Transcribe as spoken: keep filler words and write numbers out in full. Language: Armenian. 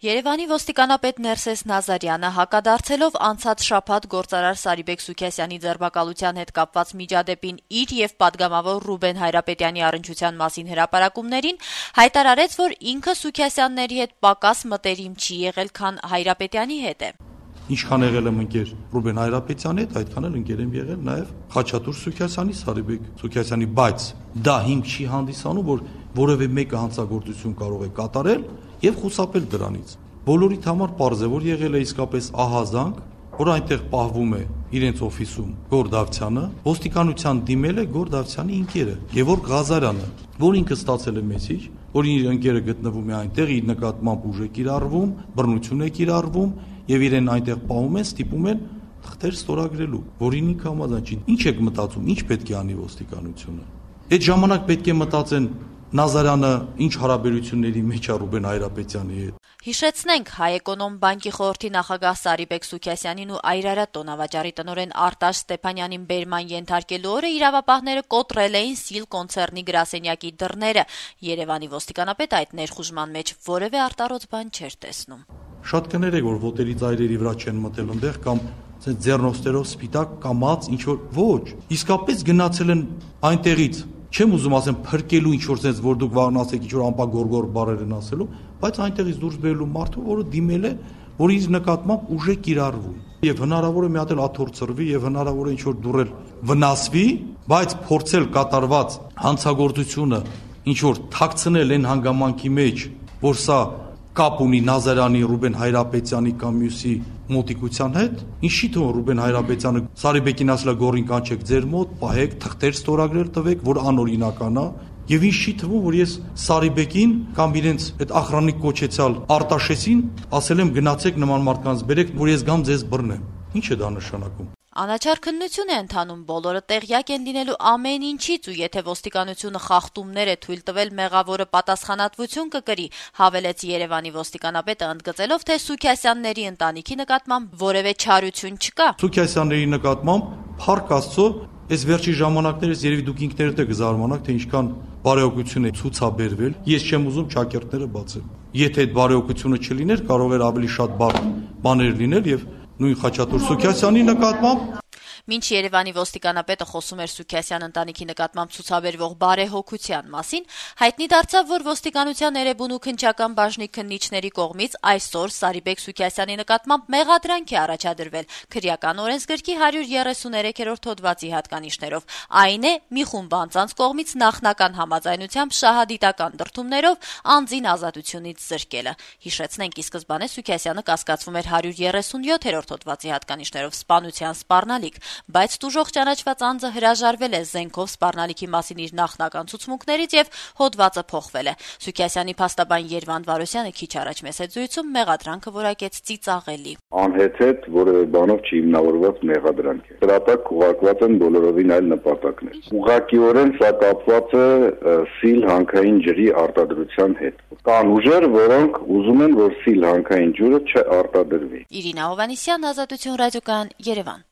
Երևանի ոստիկանապետ Ներսես Նազարյանը հակադարձելով անցած շաբաթ գործարար Սարիբեկ Սուքիասյանի ձերբակալության հետ կապված միջադեպին իր եւ պատգամավոր Ռուբեն Հայրապետյանի առնչության մասին հրապարակումներին հայտարարեց, որ ինքը Սուքիասյանների հետ պակաս մտերիմ չի եղել, քան Հայրապետյանի հետ է։ Ինչքան եղել եմ ընկեր Ռուբեն Հայրապետյանի հետ, այդքան էլ ընկեր եմ եղել նաև Խաչատուր Սուքիասյանի, Սարիբեկ Սուքիասյանի, բայց դա հիմք չի հանդիսանում, որ որևէ մեկը հանցագործություն կարող է կատարել եւ խուսափել դրանից։ Բոլորիդ համար պարզ է, որ եղել է իսկապես ահազանգ, որ այնտեղ պահվում է իրենց օֆիսում Գոր Դավթյանը, ոստիկանության դիմել է Գոր Դավթյանի ընկերը Գևորգ Ղազարյանը, որ ինքը ստացել է մեսիջ, որ իր ընկերը գտնվում է այնտեղ, իր նկատմամբ ուժ է կիրառվում, բռնություն է կիրառվում եւ իրեն այնտեղ պահում են, ստիպում են թղթեր ստորագրելու, որին ինքը համաձայն չի։ Ինչ եք մտածում, ինչ պետք է անի ոստիկանությունը։ Այդ ժամանակ պետք է մտածեն Նազարյանը ինչ հարաբերությունների մեջ է Ռուբեն Հայրապետյանի հետ։ Հիշեցնենք, Հայ Էկոնոմ բանկի խորհրդի նախագահ Սարիբեկ Սուքիասյանին ու Այրարատ տոնավաճառի տնօրեն Արտաշ Ստեփանյանին բերման ենթարկելու օրը իրավապահները կոտրել էին Սիլ կոնցեռնի գրասենյակի դռները։ Երևանի ոստիկանապետը այդ ներխուժման մեջ որևէ արտառոց բան չէր տեսնում։ Շատ կներեք, որ ոտերի ծայրերի վրա չեն մտել այնտեղ կամ ձեռնոստերով սպիտակ կամած ինչ որ ոչ, իսկապես գնացել են այնտեղից։ Չեմ ուզում ասեմ փրկելու ինչ որ sense, որ դուք վաղն ասեք ինչ որ ամպագորգոր բառեր են ասելու, բայց այնտեղից դուրս բերելու մարդու, որը դիմել է, որ իր նկատմամբ ուժ է կիրառվում։ Եվ հնարավոր է մի հատ էլ աթոռ ծրվի եւ հնարավոր է ինչ որ դուրել վնասվի, բայց փորձել կատարված հանցագործությունը ինչ որ թաքցնել այն հանգամանքի մեջ, որ սա կապ ունի Նազարյանի, Ռուբեն Հայրապետյանի կամ մյուսի մոտիկության հետ, ինչի՞ թվում Ռուբեն Հայրապետյանը Սարիբեկին ասել է գորին կանչեք ձեր մոտ, պահեք, թղթեր ստորագրել տվեք, որ անօրինական է, եւ ինչի՞ թվում, որ ես Սարիբեկին կամ իրենց այդ ախրանիկ կոչեցյալ Արտաշեսին ասել եմ գնացեք նման մարդկանց բերեք, որ ես գամ ձեզ բռնեմ։ Ինչ է դա նշանակում։ Անաչառ քննություն է ընթանում, բոլորը տեղյակ են լինելու ամեն ինչից ու եթե ոստիկանությունը խախտումներ է թույլ տվել, մեղավորը պատասխանատվություն կկրի, հավելեց Երևանի ոստիկանապետը, ընդգծելով, թե Սուքիասյանների ընտանիքի նկատմամբ որևէ չարություն չկա։ Սուքիասյանների նկատմամբ փառք Աստծո, այս վերջի ժամանակներս երևի դուք ինքներդ եք զարմանաք, թե ինչքան բարեհոգություն է ցուցաբերվել։ Ես չեմ ուզում ճակերտները բացել։ Եթե այդ բարեհոգությունը չլիներ, կարող էր ավելի շատ բարդ բաներ լինել եւ նույն Խաչատուր Սուքիասյանի նկատմամբ։ Մինչ Երևանի ոստիկանապետը խոսում էր Սուքիասյան ընտանիքի նկատմամբ ցուցաբերվող բարեհոգության մասին, հայտնի դարձավ, որ ոստիկանության Էրեբուն ու Քնչական բաժնի քննիչների կողմից այսօր Սարիբեկ Սուքիասյանի նկատմամբ մեղադրանք է առաջադրվել քրեական օրենսգրքի հարյուր երեսուներեքերորդ հոդվածի հատկանիշներով։ Այն է, մի խումբ անձանց կողմից նախնական համաձայնությամբ շահադիտական դրդումներով անձին ազատությունից զրկելը։ Հիշեցնենք, ի սկզբանե Սուքիասյանը կասկածվում էր հարյուր երեսունյոթերորդ հոդվածի հատկանիշներով սպանության սպառնալիք, բայց տուժող ճանաչված անձը հրաժարվել է զենքով սպառնալիքի մասին իր նախնական ցուցմունքներից եւ հոդվածը փոխվել է։ Սուքիասյանի փաստաբան Երվանդ Վարոսյանը քիչ առաջ մեծ զույցում մեղադրանքը որակեց ծիծաղելի։ Անհեթեթ որևէ բանով չի հիմնավորված մեղադրանք է։ Դրա տակ ուղղակված են բոլորովին այլ նպատակներ։ Ուղղակիորեն սա կապված է Սիլ հանքային ջրի արտադրության հետ։ Կան ուժեր, որոնք ուզում են, որ Սիլ հանքային ջուրը չարտադրվի։ Իրինա Հովանեսյան, Ազատություն ռադիոկայան, Երևան։